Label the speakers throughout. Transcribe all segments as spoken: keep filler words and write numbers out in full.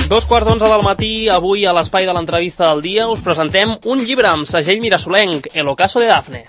Speaker 1: Dos quarts d'onze del matí, avui a l'espai de l'entrevista del dia us presentem un llibre amb segell mirasolenc, El ocaso de Dafne.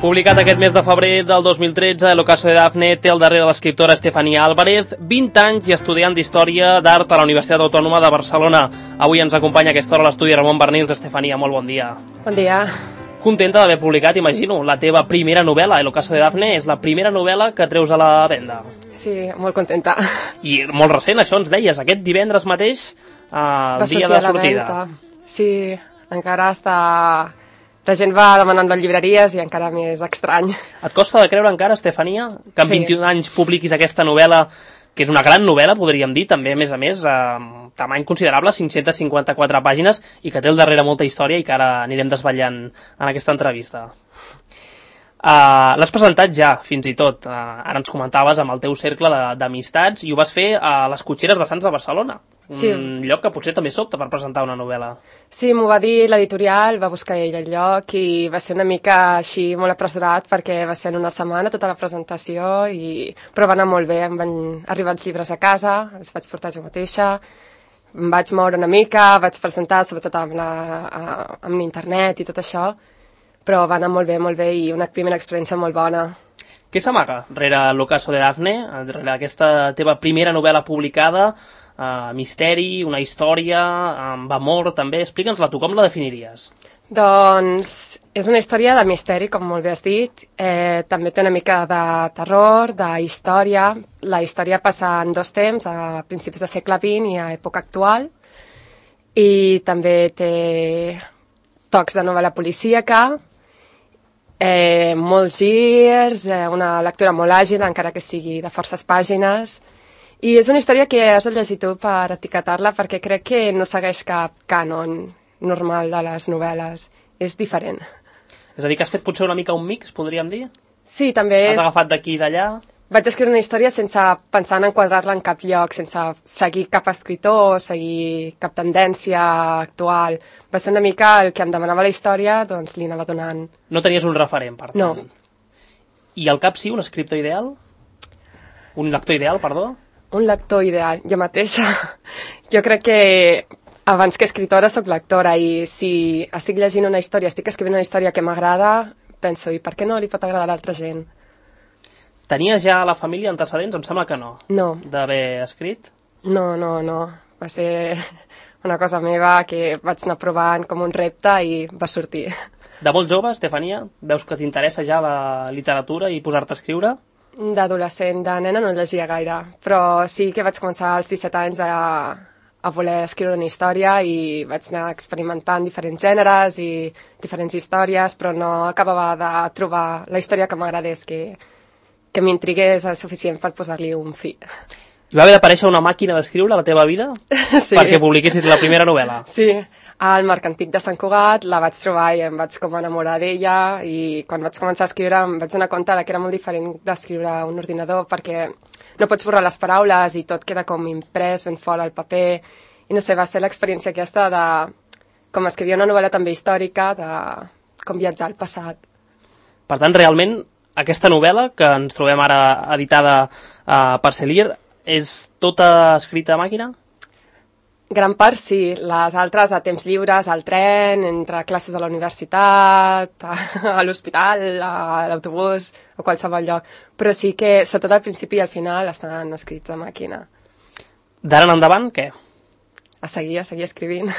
Speaker 1: Publicat aquest mes de febrer del dos mil tretze, El ocaso de Dafne té al darrere l'escriptora Estefanía Álvarez, vint anys i estudiant d'Història d'Art a la Universitat Autònoma de Barcelona. Avui ens acompanya a aquesta hora a l'estudi Ramon Bernils. Estefanía, molt bon dia.
Speaker 2: Bon dia.
Speaker 1: Contenta d'haver publicat, imagino, la teva primera novel·la, El ocaso de Dafne, és la primera novel·la que treus a la venda.
Speaker 2: Sí, molt contenta.
Speaker 1: I molt recent, això ens deies, aquest divendres mateix, eh, el dia de sortida.
Speaker 2: Sí, encara està... La gent va demanant les llibreries i encara més estrany.
Speaker 1: Et costa de creure encara, Estefanía, que amb
Speaker 2: Sí.
Speaker 1: vint-i-un anys publiquis aquesta novel·la, que és una gran novel·la, podríem dir, també, a més a més, amb tamany considerable, cinc-centes cinquanta-quatre pàgines, i que té al darrere molta història i que ara anirem desvetllant en aquesta entrevista. Uh, L'has presentat ja, fins i tot. Uh, ara ens comentaves amb el teu cercle de- d'amistats i ho vas fer a les Cotxeres de Sants de Barcelona.
Speaker 2: Sí.
Speaker 1: Un lloc que potser també sobta per presentar una novel·la.
Speaker 2: Sí, m'ho va dir l'editorial, va buscar ell el lloc i va ser una mica així molt apressurat perquè va ser en una setmana tota la presentació, i... però va anar molt bé, em van arribar els llibres a casa, els vaig portar jo mateixa, em vaig moure una mica, vaig presentar sobretot amb, la, a- amb l'internet i tot això, però va anar molt bé, molt bé, i una primera experiència molt bona.
Speaker 1: Què s'amaga rere l'ocaso de Dafne, rere aquesta teva primera novel·la publicada, uh, misteri, una història, amb amor també? Explica'ns-la tu, com la definiries?
Speaker 2: Doncs és una història de misteri, com molt bé has dit. Eh, també té una mica de terror, de història. La història passa en dos temps, a principis del segle vint i a època actual. I també té tocs de novel·la policíaca, eh, molts girs, eh, una lectura molt àgil, encara que sigui de forces pàgines. I és una història que has de llegir tu per etiquetar-la, perquè crec que no segueix cap cànon normal de les novel·les. És diferent.
Speaker 1: És a dir, que has fet potser una mica un mix, podríem dir?
Speaker 2: Sí, també
Speaker 1: Has
Speaker 2: és...
Speaker 1: agafat d'aquí i d'allà?
Speaker 2: Vaig escriure una història sense pensar en enquadrar-la en cap lloc, sense seguir cap escriptor, seguir cap tendència actual. Va ser una mica el que em demanava la història, doncs li anava donant.
Speaker 1: No tenies un referent, per tant.
Speaker 2: No.
Speaker 1: I al cap sí, un escriptor ideal? Un lector ideal, perdó?
Speaker 2: Un lector ideal, jo mateixa. Jo crec que abans que escriptora soc lectora, i si estic llegint una història, estic escrivint una història que m'agrada, penso, i per què no li pot agradar a l'altra gent?
Speaker 1: Tenies ja a la família antecedents? Em sembla que no.
Speaker 2: No,
Speaker 1: D'haver escrit?
Speaker 2: no, no, no. Va ser una cosa meva que vaig anar provant com un repte i va sortir.
Speaker 1: De molt jove, Estefanía, veus que t'interessa ja la literatura i posar-te a escriure?
Speaker 2: D'adolescent, de nena no llegia gaire, però sí que vaig començar als disset anys a, a voler escriure una història i vaig anar experimentant diferents gèneres i diferents històries, però no acabava de trobar la història que m'agradés, que, que m'intrigués el suficient per posar-li un fi.
Speaker 1: Hi va haver d'aparèixer una màquina d'escriure a la teva vida
Speaker 2: Sí.
Speaker 1: perquè publiquessis la primera novel·la.
Speaker 2: Sí, al Mercantic de Sant Cugat la vaig trobar i em vaig com enamorar d'ella, i quan vaig començar a escriure em vaig donar compte que era molt diferent d'escriure a un ordinador, perquè no pots borrar les paraules i tot queda com imprès ben fora al paper, i no sé, va ser l'experiència aquesta de com escrivia una novel·la també històrica, de com viatjar al passat.
Speaker 1: Per tant, realment, aquesta novel·la que ens trobem ara editada uh, per Celir és tota escrita a màquina?
Speaker 2: Gran part sí, les altres a temps lliures, al tren, entre classes a la universitat, a, a l'hospital, a l'autobús o qualsevol lloc. Però sí que, sobretot al principi i al final, estan escrits a màquina.
Speaker 1: D'ara en endavant, què?
Speaker 2: A seguir, a seguir escrivint.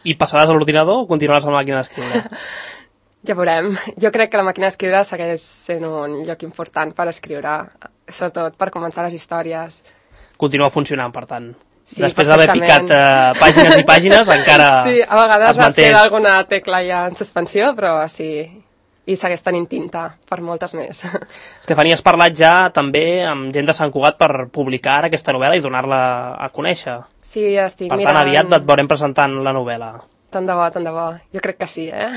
Speaker 1: I passaràs a l'ordinador o continuaràs a la màquina d'escriure?
Speaker 2: Ja veurem. Jo crec que la màquina d'escriure segueix sent un lloc important per escriure, sobretot per començar les històries.
Speaker 1: Continua funcionant, per tant.
Speaker 2: Sí,
Speaker 1: després d'haver picat uh, pàgines i pàgines, encara
Speaker 2: sí, a vegades
Speaker 1: es manté.
Speaker 2: es queda alguna tecla ja en suspensió, però sí, i segueix tenint tinta per moltes més.
Speaker 1: Estefanía, has parlat ja també amb gent de Sant Cugat per publicar ara aquesta novel·la i donar-la a conèixer.
Speaker 2: Sí, estic
Speaker 1: Per
Speaker 2: mirant...
Speaker 1: tant, aviat et veurem presentant la novel·la.
Speaker 2: Tant de bo, tant de bo. Jo crec que sí, eh?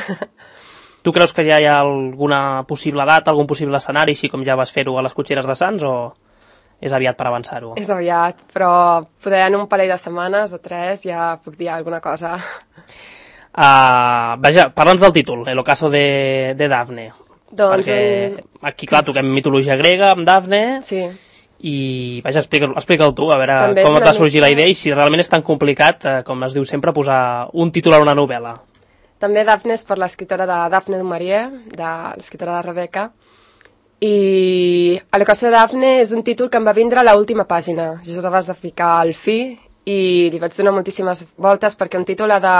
Speaker 1: Tu creus que ja hi ha alguna possible data, algun possible escenari, així com ja vas fer-ho a les Cotxeres de Sants, o és aviat per avançar-ho?
Speaker 2: És aviat, però poder en un parell de setmanes o tres ja puc dir alguna cosa.
Speaker 1: Uh, vaja, parla'ns del títol, El ocaso de, de Dafne.
Speaker 2: Doncs
Speaker 1: perquè
Speaker 2: un...
Speaker 1: aquí, clar, toquem mitologia grega amb Dafne,
Speaker 2: Sí.
Speaker 1: i vaja, explica'l explica tu, a veure
Speaker 2: També
Speaker 1: com
Speaker 2: és
Speaker 1: et va
Speaker 2: una
Speaker 1: sorgir
Speaker 2: mica-
Speaker 1: la idea i si realment és tan complicat, eh, com es diu sempre, posar un títol a una novel·la.
Speaker 2: També Dafne és per l'escriptora de Dafne du Maurier, de l'escriptora de Rebeca, i a l'ocasió de Dafne és un títol que em va vindre a l'última pàgina. Jo vas de ficar al fi i li vaig donar moltíssimes voltes perquè un títol ha de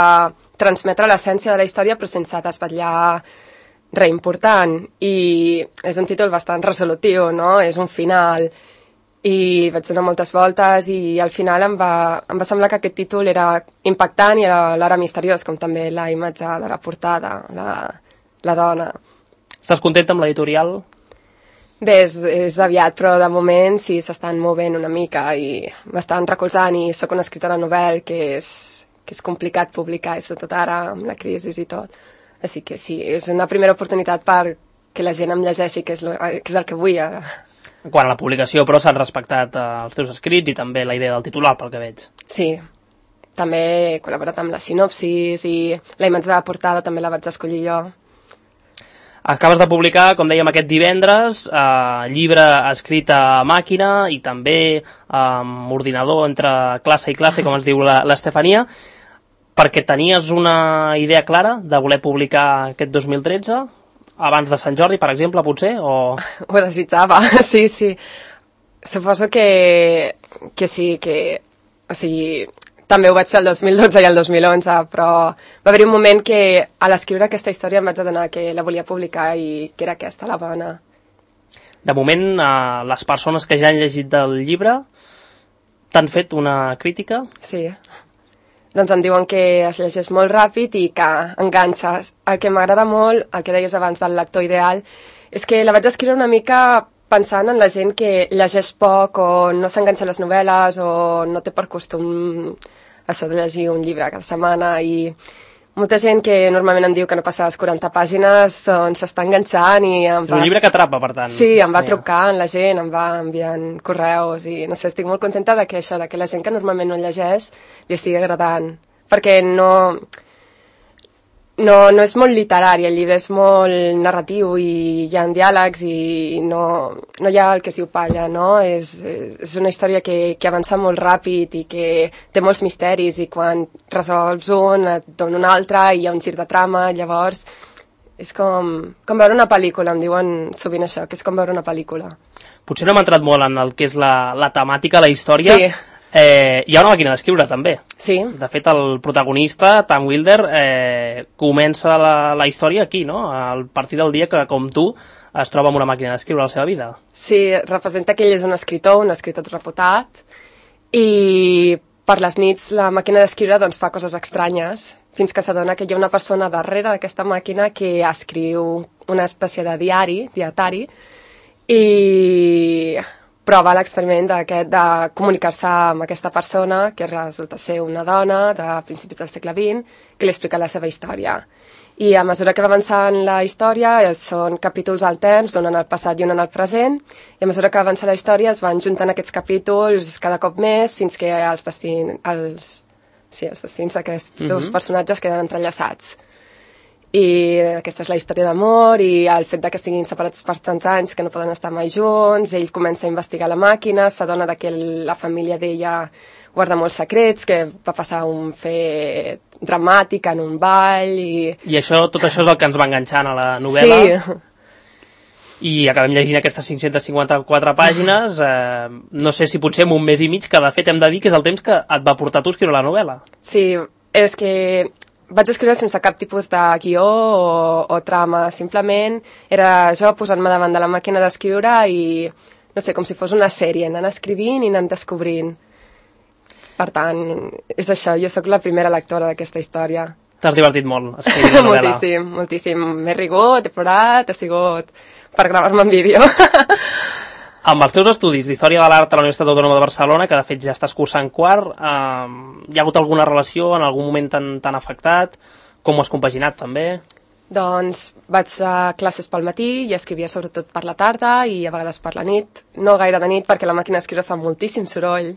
Speaker 2: transmetre l'essència de la història però sense desvetllar res important, i és un títol bastant resolutiu, no? És un final, i vaig donar moltes voltes i al final em va, em va semblar que aquest títol era impactant i alhora misteriós, com també la imatge de la portada, la, la dona.
Speaker 1: Estàs contenta amb l'editorial?
Speaker 2: Bé, és, és aviat, però de moment sí s'estan movent una mica i m'estan recolzant, i sóc una escriptora novel que és, que és complicat publicar, i sobretot ara amb la crisi i tot. Així que sí, és una primera oportunitat per que la gent em llegeixi, que és, lo, que és el que vull. Eh?
Speaker 1: Quan a la publicació, però, s'han respectat eh, els teus escrits i també la idea del titular, pel que veig.
Speaker 2: Sí, també he col·laborat amb la sinopsis i la imatge de la portada també la vaig escollir jo.
Speaker 1: Acabes de publicar, com dèiem, aquest divendres, eh, llibre escrit a màquina i també eh, amb ordinador entre classe i classe, com es diu l'Estefania, perquè tenies una idea clara de voler publicar aquest dos mil tretze, abans de Sant Jordi, per exemple, potser? O...
Speaker 2: Ho desitjava, sí, sí. Suposo que, que sí, que... O sigui, també ho vaig fer el dos mil dotze i el dos mil onze, però va haver-hi un moment que a l'escriure aquesta història em vaig adonar que la volia publicar i que era aquesta la bona.
Speaker 1: De moment, eh, les persones que ja han llegit del llibre t'han fet una crítica?
Speaker 2: Sí. Doncs em diuen que es llegeix molt ràpid i que enganxes. El que m'agrada molt, el que deies abans del lector ideal, és que la vaig escriure una mica pensant en la gent que llegeix poc o no s'enganxa a les novel·les o no té per costum això de llegir un llibre cada setmana, i molta gent que normalment em diu que no passa les quaranta pàgines doncs s'està enganxant i em
Speaker 1: És
Speaker 2: va...
Speaker 1: un llibre que atrapa, per tant.
Speaker 2: Sí, em va trucant la gent, em va enviant correus i no sé, estic molt contenta de que això, de que la gent que normalment no llegeix li estigui agradant, perquè no... No, no és molt literari, el llibre és molt narratiu i hi ha diàlegs i no, no hi ha el que es diu palla, no? És, és una història que, que avança molt ràpid i que té molts misteris, i quan resolts un et dona un altre i hi ha un gir de trama, llavors és com, com veure una pel·lícula, em diuen sovint això, que és com veure una pel·lícula.
Speaker 1: Potser no hem entrat molt en el que és la, la temàtica, la història.
Speaker 2: Sí.
Speaker 1: Eh, hi ha una màquina d'escriure, també.
Speaker 2: Sí.
Speaker 1: De fet, el protagonista, Tom Wilder, eh, comença la, la història aquí, no? A partir del dia que, com tu, es troba amb una màquina d'escriure a la seva vida.
Speaker 2: Sí, representa que ell és un escriptor, un escriptor reputat, i per les nits la màquina d'escriure doncs, fa coses estranyes, fins que s'adona que hi ha una persona darrere d'aquesta màquina que escriu una espècie de diari, dietari, i prova l'experiment d'aquest de comunicar-se amb aquesta persona, que resulta ser una dona de principis del segle vint, que li explica la seva història. I a mesura que va avançant la història, són capítols alterns, un en el passat i un en el present, i a mesura que avança la història es van juntant aquests capítols cada cop més, fins que els destins, els, sí, els destins d'aquests uh-huh. dos personatges queden entrellaçats. I aquesta és la història d'amor i el fet de que estiguin separats per tants anys que no poden estar mai junts. Ell comença a investigar la màquina, s'adona que la família d'ella guarda molts secrets, que va passar un fet dramàtic en un ball i...
Speaker 1: I això, tot això és el que ens va enganxant a la novel·la.
Speaker 2: Sí.
Speaker 1: I acabem llegint aquestes cinc-centes cinquanta-quatre pàgines, eh, no sé si potser en un mes i mig, que de fet hem de dir que és el temps que et va portar tu a escriure la novel·la.
Speaker 2: Sí, és que vaig escriure sense cap tipus de guió o, o trama, simplement era jo posant-me davant de la màquina d'escriure i, no sé, com si fos una sèrie, anant escrivint i anant descobrint. Per tant, és això, jo sóc la primera lectora d'aquesta història.
Speaker 1: T'has divertit molt escrivint la novel·la.
Speaker 2: Moltíssim, moltíssim. M'he rigut, he plorat, ha sigut per gravar-me en vídeo.
Speaker 1: Amb els teus estudis d'Història de l'Art a la Universitat Autònoma de Barcelona, que de fet ja estàs cursant quart, eh, hi ha hagut alguna relació, en algun moment t'han afectat? Com ho has compaginat, també?
Speaker 2: Doncs vaig a classes pel matí i escrivia sobretot per la tarda i a vegades per la nit. No gaire de nit, perquè la màquina d'escriure fa moltíssim soroll.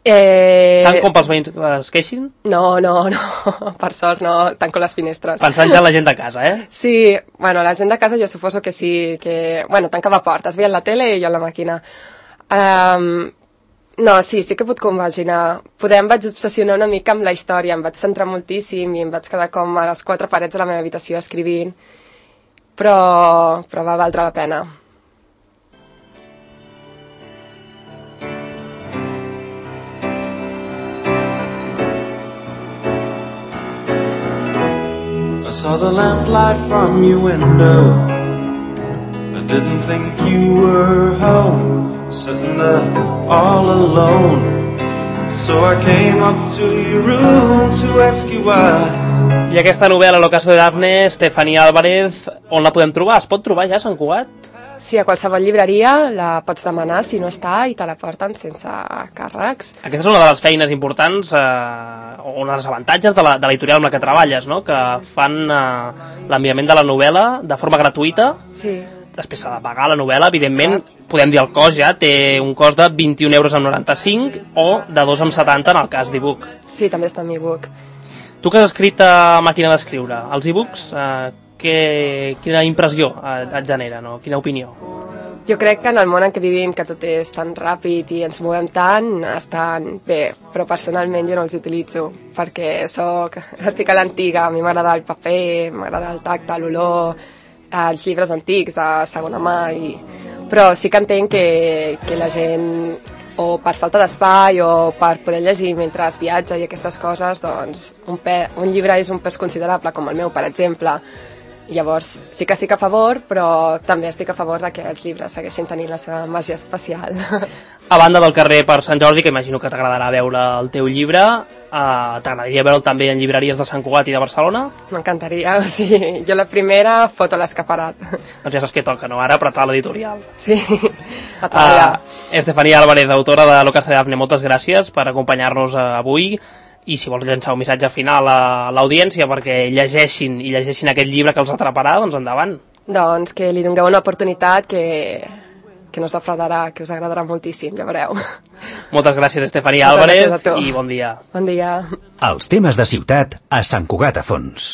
Speaker 2: Eh...
Speaker 1: Tant com pels veïns que es queixin?
Speaker 2: No, no, no, per sort no, tanco les finestres.
Speaker 1: Pensant ja en la gent de casa, eh?
Speaker 2: Sí, bueno, la gent de casa jo suposo que sí, que... Bueno, tancava portes, veien la tele i jo la màquina. Um, no, sí, sí que puc compaginar. Poder em vaig obsessionar una mica amb la història, em vaig centrar moltíssim i em vaig quedar com a les quatre parets de la meva habitació escrivint, però, però va valdre la pena.
Speaker 3: I saw the lamplight from your window. I didn't think you were home, sitting there all alone. So I came up to your room to ask you why.
Speaker 1: I aquesta novel·la, L'ocaso de Dafne, Estefania Álvarez, on la podem trobar? Es pot trobar ja a Sant Cugat?
Speaker 2: Sí, a qualsevol llibreria la pots demanar si no està i te la porten sense càrrecs.
Speaker 1: Aquesta és una de les feines importants, eh, o un dels avantatges de l'editorial amb la que treballes, no? Que fan eh, l'enviament de la novel·la de forma gratuïta.
Speaker 2: Sí.
Speaker 1: Després s'ha de pagar la novel·la, evidentment, clar. Podem dir el cost ja, té un cost de vint-i-un euros amb noranta-cinc o de dos amb setanta en el cas d'e-book.
Speaker 2: Sí, també està en e-book.
Speaker 1: Tu que has escrit a màquina d'escriure, els e-books, eh, que, quina impressió et genera, no? Quina opinió?
Speaker 2: Jo crec que en el món en què vivim, que tot és tan ràpid i ens movem tant, estan bé, però personalment jo no els utilitzo, perquè soc, estic a l'antiga, a mi m'agrada el paper, m'agrada el tacte, l'olor, els llibres antics de segona mà, i... però sí que entenc que, que la gent, o per falta d'espai o per poder llegir mentre es viatja i aquestes coses, doncs un, pe... un llibre és un pes considerable, com el meu, per exemple. Llavors, sí que estic a favor, però també estic a favor de que els llibres segueixin tenint la seva màgia especial.
Speaker 1: A banda del carrer per Sant Jordi, que imagino que t'agradarà veure el teu llibre, eh, t'agradaria veure'l també en llibreries de Sant Cugat i de Barcelona?
Speaker 2: M'encantaria, o sigui, jo la primera foto l'escaparat.
Speaker 1: Doncs ja saps què toca, no? Ara apretar l'editorial.
Speaker 2: Sí, a treballar.
Speaker 1: Uh, Estefania Álvarez, autora de L'ocaso de Dafne, moltes gràcies per acompanyar-nos avui. I si vols llançar un missatge final a l'audiència perquè llegeixin i llegeixin aquest llibre que els atraparà, doncs endavant.
Speaker 2: Doncs que li dongueu una oportunitat que, que no us defraudarà, que us agradarà moltíssim, ja veureu.
Speaker 1: Moltes gràcies, Estefania Álvarez, i bon dia.
Speaker 2: Bon dia.
Speaker 4: Els temes de ciutat a Sant Cugat a Fons.